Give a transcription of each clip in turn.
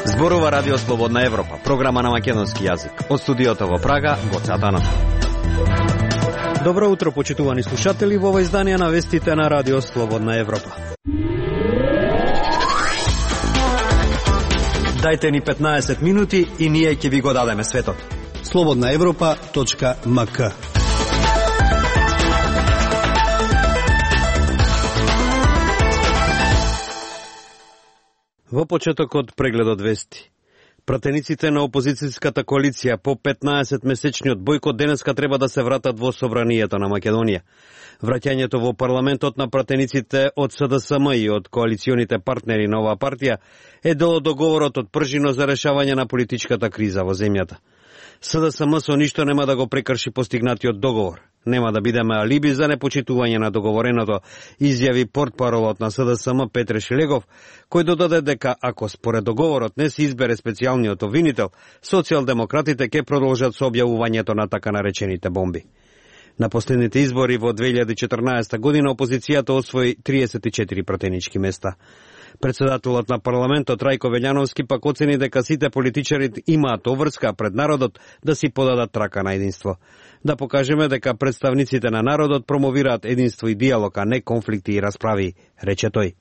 Зборува Радио Слободна Европа, програма на македонски јазик. Од студиото во Прага, Гоце Атанов. Добро утро, почитувани слушатели, во ова издание на вестите на Радио Слободна Европа. Дајте ни 15 минути и ние ќе ви го дадеме светот. slobodnaevropa.mk. Во почетокот прегледот вести. Пратениците на опозицијската коалиција по 15-месечниот бојкот денеска треба да се вратат во собранието на Македонија. Враќањето во парламентот на пратениците од СДСМ и од коалиционите партнери на оваа партија е дел од договорот од пржино за решавање на политичката криза во земјата. СДСМ со ништо нема да го прекрши постигнатиот договор. Нема да бидеме алиби за непочитување на договореното, изјави портпаролот на СДСМ Петре Шилегов, кој додаде дека ако според договорот не се избере специјалниот обвинител, социјалдемократите ќе продолжат со објавувањето на така наречените бомби. На последните избори во 2014 година опозицијата освои 34 пратенички места. Председателот на парламентот Рајко Велјановски пак оцени дека сите политичари имаат обврска пред народот да си подадат трака на единство. Да покажеме дека представниците на народот промовираат единство и диалог, а не конфликти и расправи, рече тој.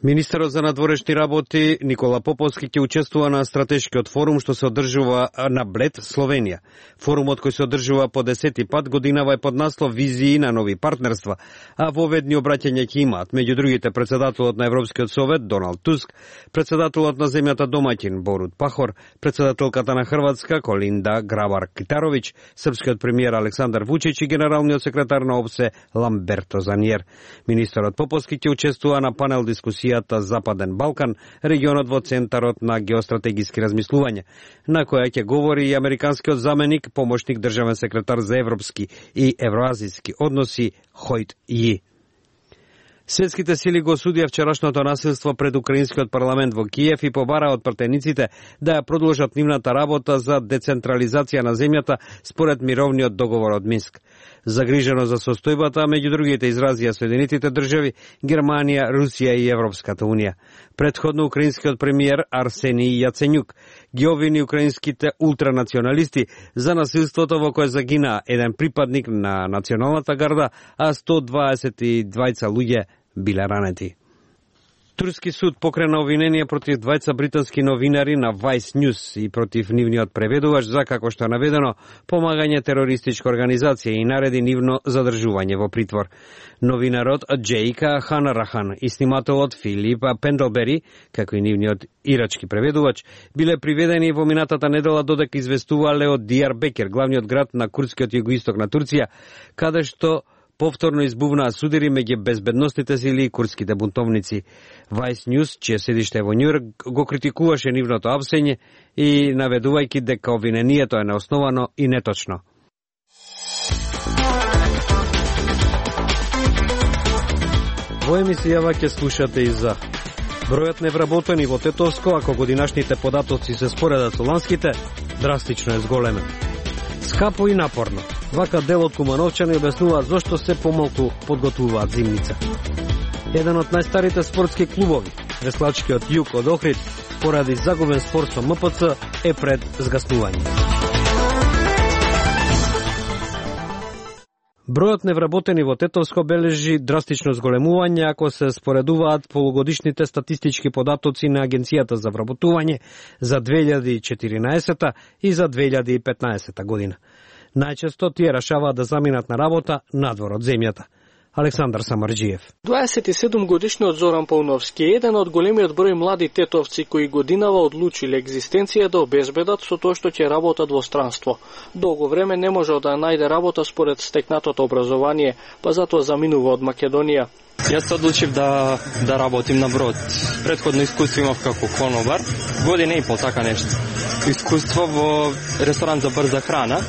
Министерот за надворешни работи Никола Поповски ќе учествува на стратешкиот форум што се одржува на Блед, Словенија. Форумот кој се одржува по 10-ти пат годинава е под наслов Визии на нови партнерства, а воведни обраќања ќе имаат меѓу другите председателот на Европскиот совет Доналд Туск, председателот на земјата домаќин Борут Пахор, председателката на Хрватска Колинда Грабар-Китаровиќ, српскиот премиер Александар Вучич и генералниот секретар на ОПСЕ Ламберто Заниер. Министерот Поповски ќе учествува на панел дискусија Западен Балкан, регионот во центарот на геостратегиски размислување, на која ќе говори и американскиот заменик, помошник државен секретар за европски и евроазијски односи Хојт Ји. Светските сили го осудија вчерашното насилство пред украинскиот парламент во Киев и побара од пратениците да ја продолжат нивната работа за децентрализација на земјата според мировниот договор од Минск. Загрижено за состојбата, меѓу другите изразија Соединетите држави, Германија, Русија и Европската унија. Предходно украинскиот премиер Арсенij Јаценјук ги обвини украинските ултранационалисти за насилството во кое загина еден припадник на националната гарда, а 122 луѓе биле ранети. Турски суд покрена обвинение против двајца британски новинари на Vice News и против нивниот преведувач за, како што е наведено, помагање терористичка организација и нареди нивно задржување во притвор. Новинарот Джейка Ханарахан и снимателот Филип Пендлбери, како и нивниот ирачки преведувач, биле приведени во минатата недела додека известувале од Дијарбекер, главниот град на курдскиот југоисток на Турција, каде што повторно избувнаа судири меѓу безбедносните сили и курдските бунтовници. Vice News, чие седиште во Њујорк, го критикуваше нивното апсење и наведувајќи дека обвинението е неосновано и неточно. Во емисијава ќе слушате и за бројот невработени во Тетовско, ако годинашните податоци се споредат со ланските, драстично е зголемен. Скапо и напорно. Вака дел од кумановчани објаснуваат зошто се помалку подготвуваат зимница. Еден од најстарите спортски клубови, Веслачкиот Југ од Охрид, поради загубен спор со МПЦ, е пред згаснување. Бројот невработени во Тетовско бележи драстично зголемување ако се споредуваат полугодишните статистички податоци на Агенцијата за вработување за 2014 и за 2015 година. Најчесто тие решаваат да заминат на работа надвор од земјата. Александар Самарџиев. 27 годишниот Зоран Пауновски е еден од големиот број млади тетовци кои годинава одлучиле екзистенција да обезбедат со тоа што ќе работат во странство. Долго време не можел да најде работа според стекнатото образование, па затоа заминува од Македонија. Јас се одлучив да работим на брод. Предходно искуство имав како конобар, година и пол така нешто. Искуство во ресторан за брза храна.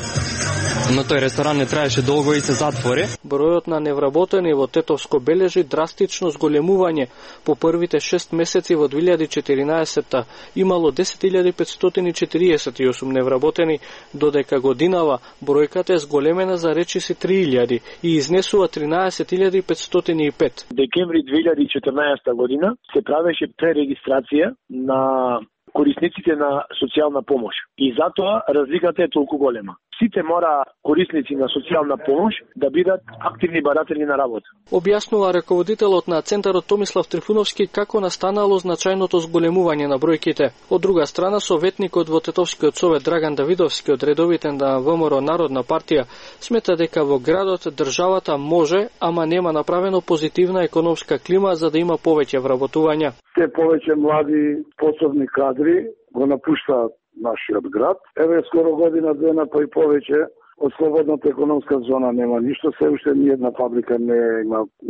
но тој ресторан не траеше долго и се затвори. Бројот на невработени во Тетовско бележи драстично зголемување. По првите 6 месеци во 2014 имало 10.548 невработени, додека годинава бројката е зголемена за речиси 3.000 и изнесува 13.505. Декември 2014 година се правеше пререгистрација на корисниците на социјална помош и затоа разликата е толку голема. Сите мора корисници на социјална помош да бидат активни баратели на работа. Објаснува раководителот на центарот Томислав Трифуновски како настанало значајното зголемување на бројките. Од друга страна, советникот во Тетовскиот совет Драган Давидовски од редовите на ВМРО Народна партија смета дека во градот државата може, ама нема направено позитивна економска клима за да има повеќе вработувања. Се повеќе млади способни кадри го напуштаат нашиот град. Еве скоро година дена па и повеќе од слободната економска зона нема ништо, се уште ни една фабрика не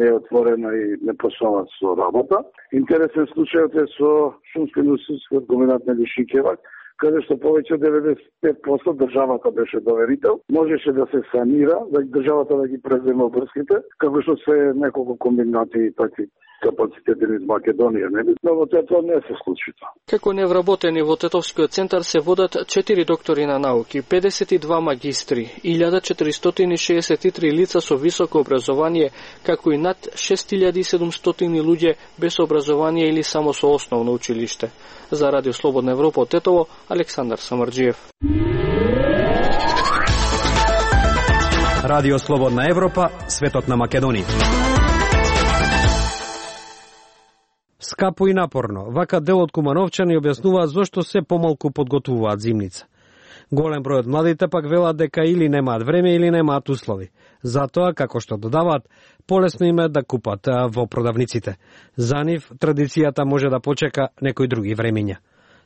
е отворена и не послува со работа. Интересен случајот е со шумско индустријскиот комбинат на Шикевак, каде што повеќе од 95% државата беше доверител, можеше да се санира, да државата да ги преземе обврските, како што се неколку комбинати и такви капацитети из Македонија, нели? Но во тоа не се случи тоа. Како невработени во Тетовскиот центар се водат 4 доктори на науки, 52 магистри, 1463 лица со високо образование, како и над 6700 луѓе без образование или само со основно училиште. За Радио Слободна Европа од Тетово, Александар Самарџиев. Радио Слободна Европа, светот на Македонија. Скапо и напорно, вака дел од кумановчани објаснуваат зошто се помалку подготвуваат зимница. Голем број од младите пак велат дека или немаат време или немаат услови. Затоа, како што додаваат, полесно им е да купат во продавниците. За нив традицијата може да почека некои други времиња.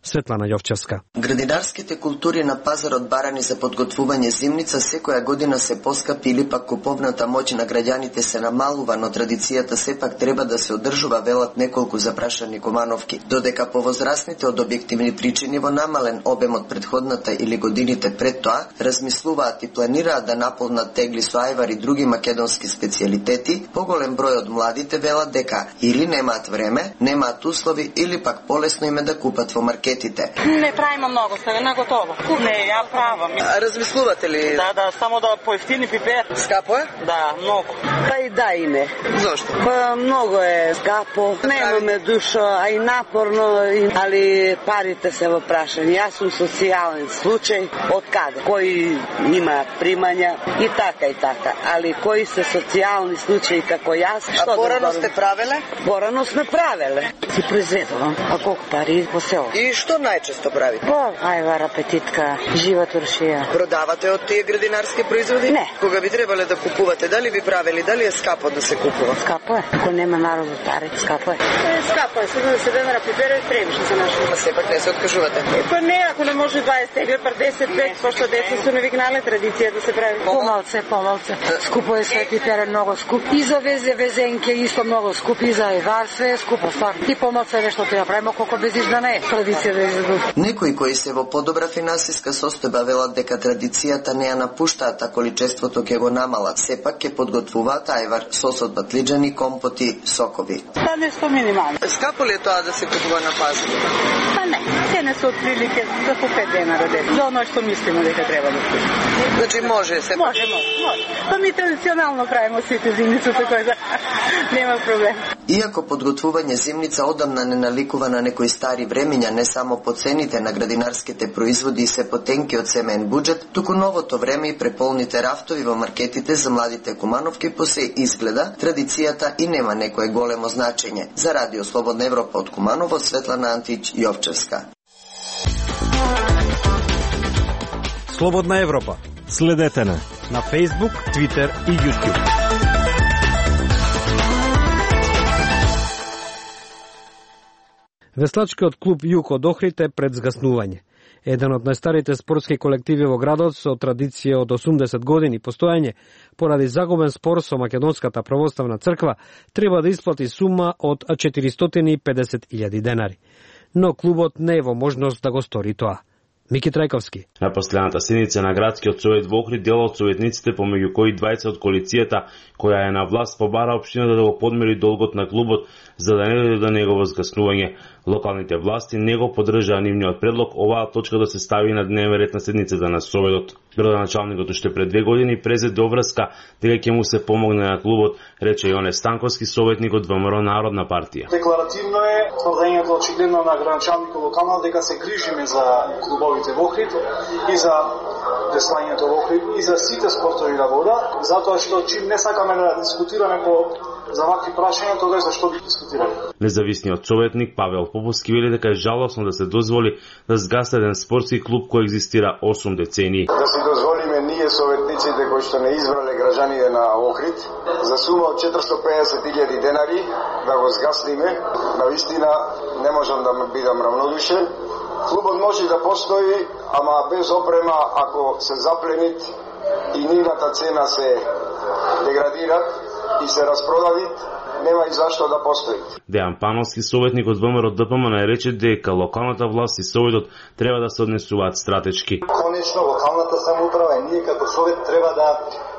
Светлана Јовчевска. Градинарските култури на пазарот барани за подготвување зимница секоја година се поскапи или пак куповната моќ на граѓаните се намалува, но традицијата сепак треба да се одржува, велат неколку запрашани кумановки. Додека повозрасните од објективни причини во намален обем од претходната или годините пред тоа, размислуваат и планираат да наполнат тегли со ајвар и други македонски специјалитети, поголем број од младите велат дека или немаат време, немаат услови или пак полесно им е да купат во маркет. Не правиме многу, ставе на готово. Не, ја правам. А размислувате ли? Да, само да поевтини пипер. Скапо е? Да, многу. Па и да име. Зошто? Па многу е скапо. Немаме душа, а и напорно, али парите се во прашање. Јас сум социјален случај, од каде? Кои има примања и така. Али кои се социјални случаи како јас? А порано сте правеле? Порано сме правеле. Си произведувам. А колку пари по село? И што најчесто правите? Ајвар, апетитка, жива туршија. Продавате од тие градинарски производи? Не. Кога би требале да купувате, дали би правели, дали е скапо да се купува? Скапо е. Ако нема народот пари, скапо е. Скапо е, сега да се денара пипера и премишно за нашо. А сепак не се откажувате? Па не, ако не може 20 тегли, пар 10 пек, пошто деца се навигнале традиција да се прави. Помалце. Скупо е све, пипер е многу скуп. И за везенке исто многу скуп, и за ајвар све е скупо, стварно. Ти помалце нешто ти направимо, колко безиш да не е. Некои кои се во подобра финансиска состојба велат дека традицијата не ја напуштаат, а количеството ќе го намалат. Сепак ќе подготвуваат ајвар, сос од батлиџани, компоти, сокови. Па нешто минимално. Скапо ли е тоа да се купува на пазар? Па не, цене се отприлике за по 5 денара ден. За оно што мислиме дека треба да купи. Значи може сепак? Може. Па ми традиционално правиме сите зимници, така да нема проблем. Иако подготвување зимница одамна не наликува на некои стари времиња, не само по цените на градинарските производи и се потенки од семеен буџет, туку новото време и преполните рафтови во маркетите за младите кумановки по се изгледа, традицијата и нема некое големо значење. За Радио Слободна Европа од Куманово, Светлана Антич Јовчевска. Слободна Европа. Следете на Facebook, Twitter и YouTube. Веслачкиот клуб Југ од Охрид е пред згаснување. Еден од најстарите спортски колективи во градот со традиција од 80 години постојање, поради загубен спор со Македонската православна црква, треба да исплати сума од 450.000 денари. Но клубот не е во можност да го стори тоа. Мики Трајковски. На последната седница на градскиот совет во Охрид, дел од советниците, помеѓу кои 20 од коалицијата која е на власт, побара општината да го подмири долгот на клубот за да не дојде до негово згаснување. Локалните власти не го поддржаа нивниот предлог оваа точка да се стави на дневен ред на седницата на советот. Градоначалникот уште пред 2 години презеде обврска дека ќе му се помогне на клубот, рече Јоне Станковски, советник од ВМРО Народна партија. Декларативно е тврдењето очигледно на градоначалникот локално дека се грижиме за клубовите во Охрид и за деслањето во Охрид и за сите спортови на вода, затоа што чим не сакаме да дискутираме по за вакви прашања, тогаш зашто би дискутираме. Независниот советник Павел Поповски вели дека е жалосно да се дозволи да згаси еден спортски клуб кој екзистира 8 децении. Да си дозволиме ние советниците кои што не избрале граѓаните на Охрид за сума од 450.000 денари да го згасниме, навистина не можам да бидам равнодушен. Клубот може да постои, ама без опрема, ако се запленит и нивната цена се деградират и се распродавит, нема и зашто да постои. Дејан Пановски, советник од ВМРО ДПМН, рече дека локалната власт и советот треба да се однесуваат стратешки. Конечно, локалната самоуправа и ние како совет треба да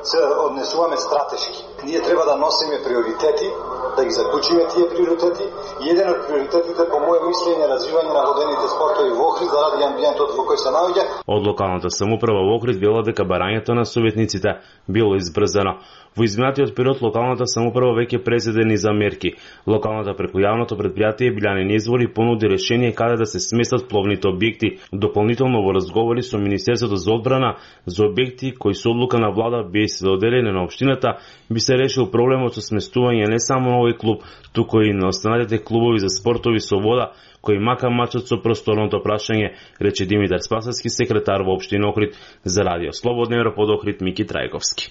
се однесуваме стратешки. Ние треба да носиме приоритети, да ги заклучиме тие приоритети. И еден од приоритетите, по моје мислење, е развивање на водените спортови во Охрид заради амбиентот во кој се наоѓа. Од локалната самоуправа во Охрид велат дека барањето на советниците било избрзано. Во изминатиот период локалната самоуправа веќе презедени за мерки. Локалната преку јавното предпријатие Билјанин извори понуди решение каде да се сместат пловните објекти. Дополнително во разговори со Министерството за одбрана за објекти кои со одлука на влада би се доделени на општината, би се решил проблемот со сместување не само на овој клуб, туку и на останатите клубови за спортови со вода кои мака мачат со просторното прашање, рече Димитар Спасовски, секретар во општина Охрид. За радио Слободна Европа од Охрид, Мики Трајковски.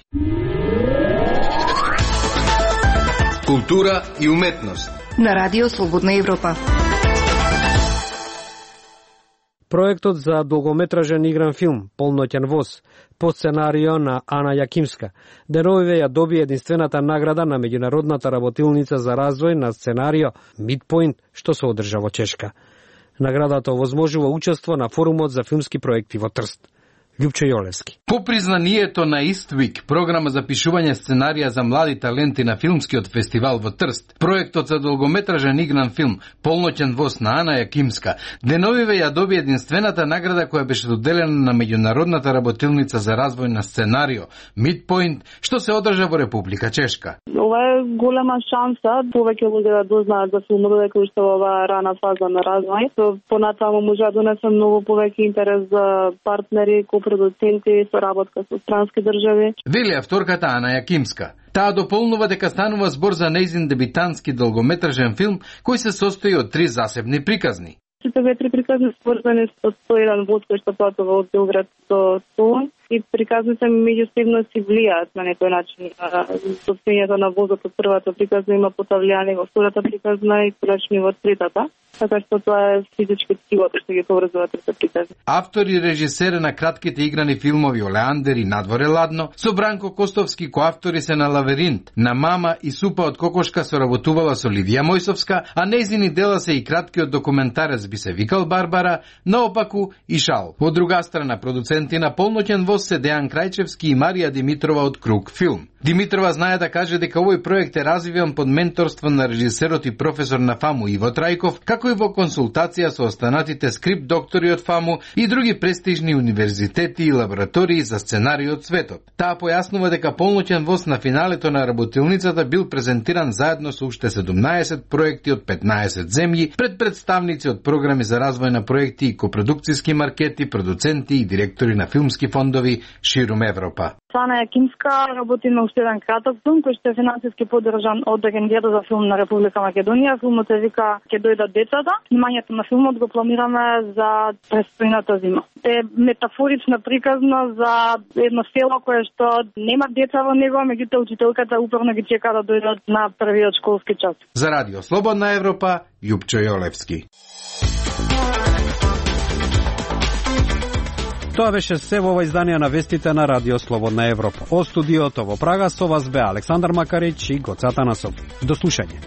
Култура и уметност на радио Слободна Европа. Проектот за долгометражен игран филм Полноќен воз по сценарио на Ана Јакимска деновиве ја доби единствената награда на меѓународната работилница за развој на сценарио Midpoint, што се одржа во Чешка. Наградата овозможува учество на форумот за филмски проекти во Трст. Љупчо Јолевски. По признанието на Иствик, програма за пишување сценарија за млади таленти на филмскиот фестивал во Трст, проектот за долгометражен игран филм Полноќен воз на Ана Јакимска деновиве ја доби единствената награда која беше доделена на меѓународната работилница за развој на сценарио Midpoint, што се одржа во Република Чешка. Ова е голема шанса повеќе луѓе да дознаат за филмот, дека уште во оваа рана фаза на развој. Понатаму може да донесе многу повеќе интерес за партнери, продуценти, соработка со странски држави. Вели авторката Ана Јакимска. Таа дополнува дека станува збор за нејзин дебитантски долгометражен филм кој се состои од 3 засебни приказни. Сите 3 приказни сврзани со 101 воз кој што патува од Белград до Солун и приказните меѓусебно си влијаат на некој начин. Состојањето на возот од првата приказна има потављање во втората приказна и колечни во третата. Така што тоа е физички силата што ги поврзува трите приказни. Автор и режисер на кратките играни филмови Олеандер и Надворе ладно, со Бранко Костовски коавтори се на Лавиринт, на Мама и Супа од кокошка соработувала со Ливија Мојсовска, а нејзини дела се и краткиот документарец Би се викал Барбара, наопаку и Шал. Од друга страна, продуценти на Полноќен воз се Дејан Крајчевски и Марија Димитрова од Круг филм. Димитрова знае да каже дека овој проект е развиван под менторство на режисерот и професор на ФАМУ Иво Трајков, како и во консултација со останатите скрип доктори од ФАМУ и други престижни универзитети и лаборатории за сценарии од светот. Таа појаснува дека Полноќен воз на финалето на работилницата бил презентиран заедно со уште 17 проекти од 15 земји пред представници од програми за развој на проекти и копродукциски маркети, продуценти и директори на филмски фондови ширум Европа. Ана Јакимска работи на уште еден краток филм кој што е финансиски поддржан од Агенцијата за филм на Република Македонија. Филмот се вика Ќе дојдат децата. Снимањето на филмот го планираме за престојната зима. Е метафорична приказна за едно село кое што нема деца во него, меѓутоа учителката упорно ги чека да дојдат на првиот школски час. За радио Слободна Европа, Љупчо Јолевски. Тоа беше се во ова издание на вестите на Радио Слободна Европа. Од студиото во Прага со вас бе Александар Макарич и Гоца Танасов. До слушање.